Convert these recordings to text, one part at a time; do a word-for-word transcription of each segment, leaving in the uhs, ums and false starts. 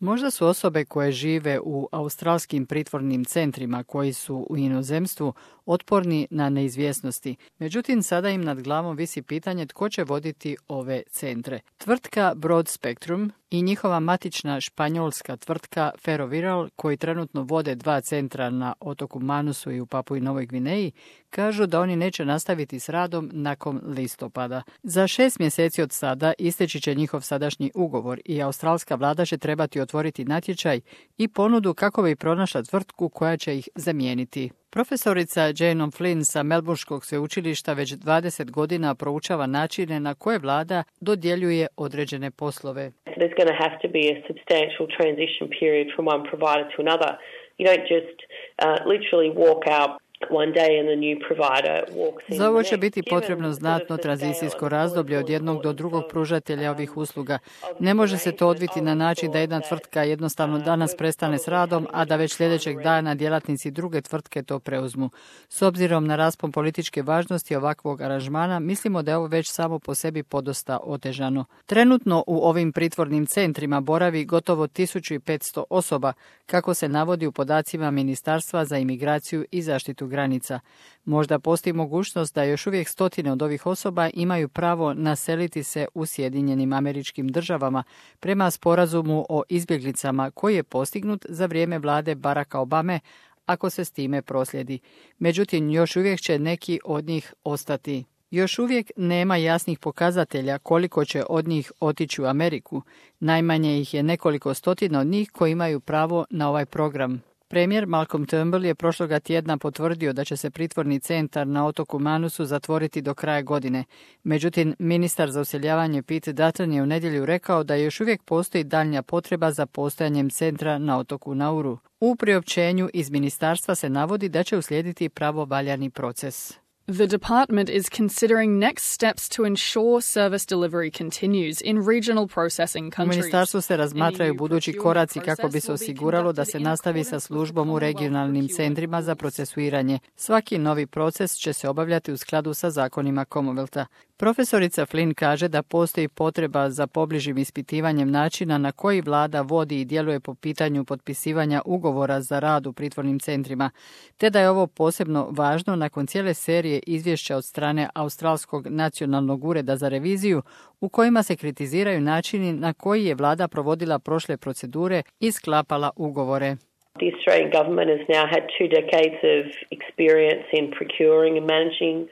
Možda su osobe koje žive u australskim pritvornim centrima koji su u inozemstvu otporni na neizvjesnosti. Međutim, sada im nad glavom visi pitanje tko će voditi ove centre. Tvrtka Broad Spectrum i njihova matična španjolska tvrtka Ferrovial, koji trenutno vode dva centra na otoku Manusu i u Papui Novoj Gvineji, kažu da oni neće nastaviti s radom nakon listopada. Za šest mjeseci od sada isteći će njihov sadašnji ugovor i australska vlada će trebati otvoriti natječaj i ponudu kako bi pronašla tvrtku koja će ih zamijeniti. Profesorica Jane O'Flynn sa Melbourneškog sveučilišta već dvadeset godina proučava načine na koje vlada dodjeljuje određene poslove. There's going to have to be a substantial transition period from one provider to another. You don't just uh, literally walk out one day and the new provider walks in. Za ovo će biti potrebno znatno tranzicijsko razdoblje od jednog do drugog pružatelja ovih usluga. Ne može se to odviti na način da jedna tvrtka jednostavno danas prestane s radom, a da već sljedećeg dana djelatnici druge tvrtke to preuzmu. S obzirom na raspon političke važnosti ovakvog aranžmana, mislimo da je ovo već samo po sebi podosta otežano. Trenutno u ovim pritvornim centrima boravi gotovo tisuću petsto osoba, kako se navodi u podacima Ministarstva za imigraciju i zaštitu granica. Možda postoji mogućnost da još uvijek stotine od ovih osoba imaju pravo naseliti se u Sjedinjenim Američkim Državama prema sporazumu o izbjeglicama koji je postignut za vrijeme vlade Baracka Obame, ako se s time proslijedi. Međutim, još uvijek će neki od njih ostati. Još uvijek nema jasnih pokazatelja koliko će od njih otići u Ameriku. Najmanje ih je nekoliko stotina od njih koji imaju pravo na ovaj program. Premijer Malcolm Turnbull je prošloga tjedna potvrdio da će se pritvorni centar na otoku Manusu zatvoriti do kraja godine. Međutim, ministar za useljavanje Pete Dutton je u nedjelju rekao da još uvijek postoji daljnja potreba za postojanjem centra na otoku Nauru. U priopćenju iz ministarstva se navodi da će uslijediti pravovaljani proces. The department is considering next steps to ensure service delivery continues in regional processing countries. U ministarstvu se razmatraju budući koraci kako bi se osiguralo da se nastavi sa službom u regionalnim centrima za procesuiranje. Svaki novi proces će se obavljati u skladu sa zakonima Commonwealtha. Profesorica Flynn kaže da postoji potreba za pobližim ispitivanjem načina na koji vlada vodi i djeluje po pitanju potpisivanja ugovora za rad u pritvornim centrima, te da je ovo posebno važno nakon cijele serije izvješća od strane Australskog nacionalnog ureda za reviziju u kojima se kritiziraju načini na koji je vlada provodila prošle procedure i sklapala ugovore. The Australian government has now had two decades of experience in procuring and managing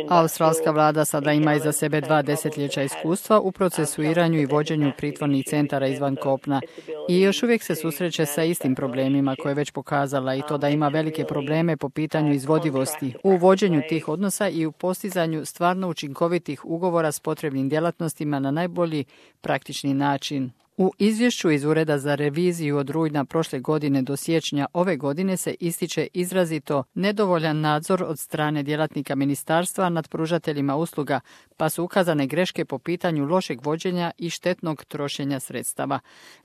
Australska vlada sada ima iza sebe dva desetljeća iskustva u procesuiranju i vođenju pritvornih centara izvan kopna i još uvijek se susreće sa istim problemima koje je već pokazala i to da ima velike probleme po pitanju izvodivosti u vođenju tih odnosa i u postizanju stvarno učinkovitih ugovora s potrebnim djelatnostima na najbolji praktični način. U izvješću iz Ureda za reviziju od rujna prošle godine do siječnja ove godine se ističe izrazito nedovoljan nadzor od strane djelatnika ministarstva nad pružateljima usluga, pa su ukazane greške po pitanju lošeg vođenja i štetnog trošenja sredstava.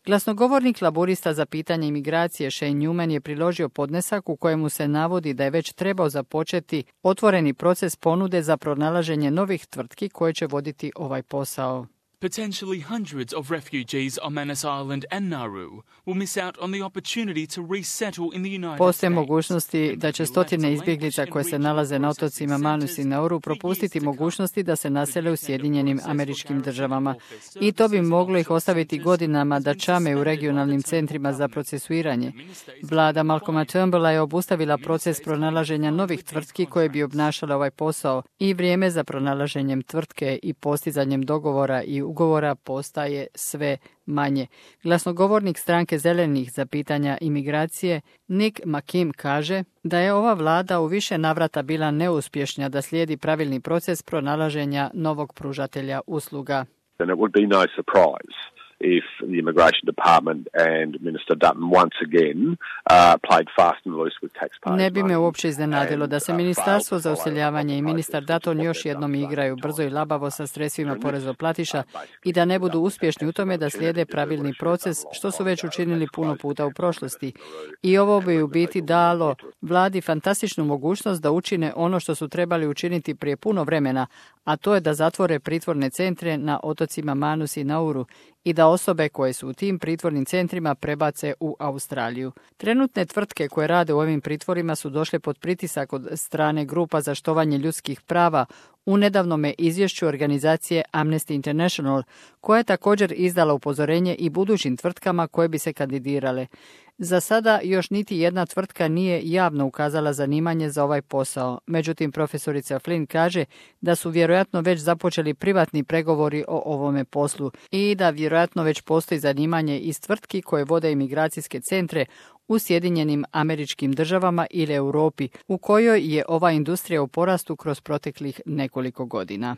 Glasnogovornik laburista za pitanje imigracije Shane Newman je priložio podnesak u kojemu se navodi da je već trebao započeti otvoreni proces ponude za pronalaženje novih tvrtki koje će voditi ovaj posao. Potentially hundreds of refugees on Manus Island and Nauru will miss out on the opportunity to resettle in the United States. Postoje mogućnosti da će stotine izbjeglica koje se nalaze na otocima Manus i Nauru propustiti mogućnosti da se nasele u Sjedinjenim Američkim Državama. I to bi moglo ih ostaviti godinama da čame u regionalnim centrima za procesuiranje. Vlada Malcolma Turnbulla je obustavila proces pronalaženja novih tvrtki koje bi obnašale ovaj posao i vrijeme za pronalaženjem tvrtke i postizanjem dogovora i ugovora postaje sve manje. Glasnogovornik stranke Zelenih za pitanja imigracije Nick McKim kaže da je ova vlada u više navrata bila neuspješna da slijedi pravilni proces pronalaženja novog pružatelja usluga. And it would be no surprise if the Immigration Department and Minister Dutton once again uh, played fast and loose with taxpayers. Ne bi me uopće iznenadilo da se Ministarstvo za useljavanje i ministar Dutton još jednom igraju brzo i labavo sa sredstvima porezoplatiša i da ne budu uspješni u tome da slijede pravilni proces, što su već učinili puno puta u prošlosti. I ovo bi u biti dalo vladi fantastičnu mogućnost da učine ono što su trebali učiniti prije puno vremena, a to je da zatvore pritvorne centre na otocima Manus i Nauru i da osobe koje su u tim pritvornim centrima prebace u Australiju. Trenutne tvrtke koje rade u ovim pritvorima su došle pod pritisak od strane grupa za štovanje ljudskih prava u nedavnome izvješću organizacije Amnesty International, koja je također izdala upozorenje i budućim tvrtkama koje bi se kandidirale. Za sada još niti jedna tvrtka nije javno ukazala zanimanje za ovaj posao. Međutim, profesorica Flynn kaže da su vjerojatno već započeli privatni pregovori o ovome poslu i da vjerojatno već postoji zanimanje iz tvrtki koje vode imigracijske centre u Sjedinjenim Američkim Državama ili Europi, u kojoj je ova industrija u porastu kroz proteklih nekoliko godina.